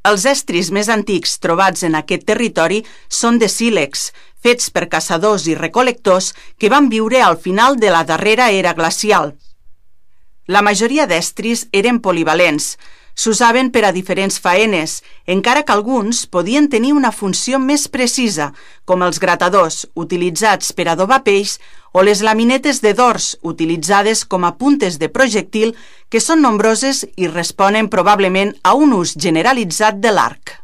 Els estris més antics trobats en aquest territori són de sílex, fets per caçadors i recol·lectors que van viure al final de la darrera era glacial. La majoria d'estris eren polivalents, s'usaven per a diferents faenes, encara que alguns podien tenir una funció més precisa, com els gratadors utilitzats per adobar peix o les laminetes de dors utilitzades com a puntes de projectil, que són nombroses i responen probablement a un ús generalitzat de l'arc.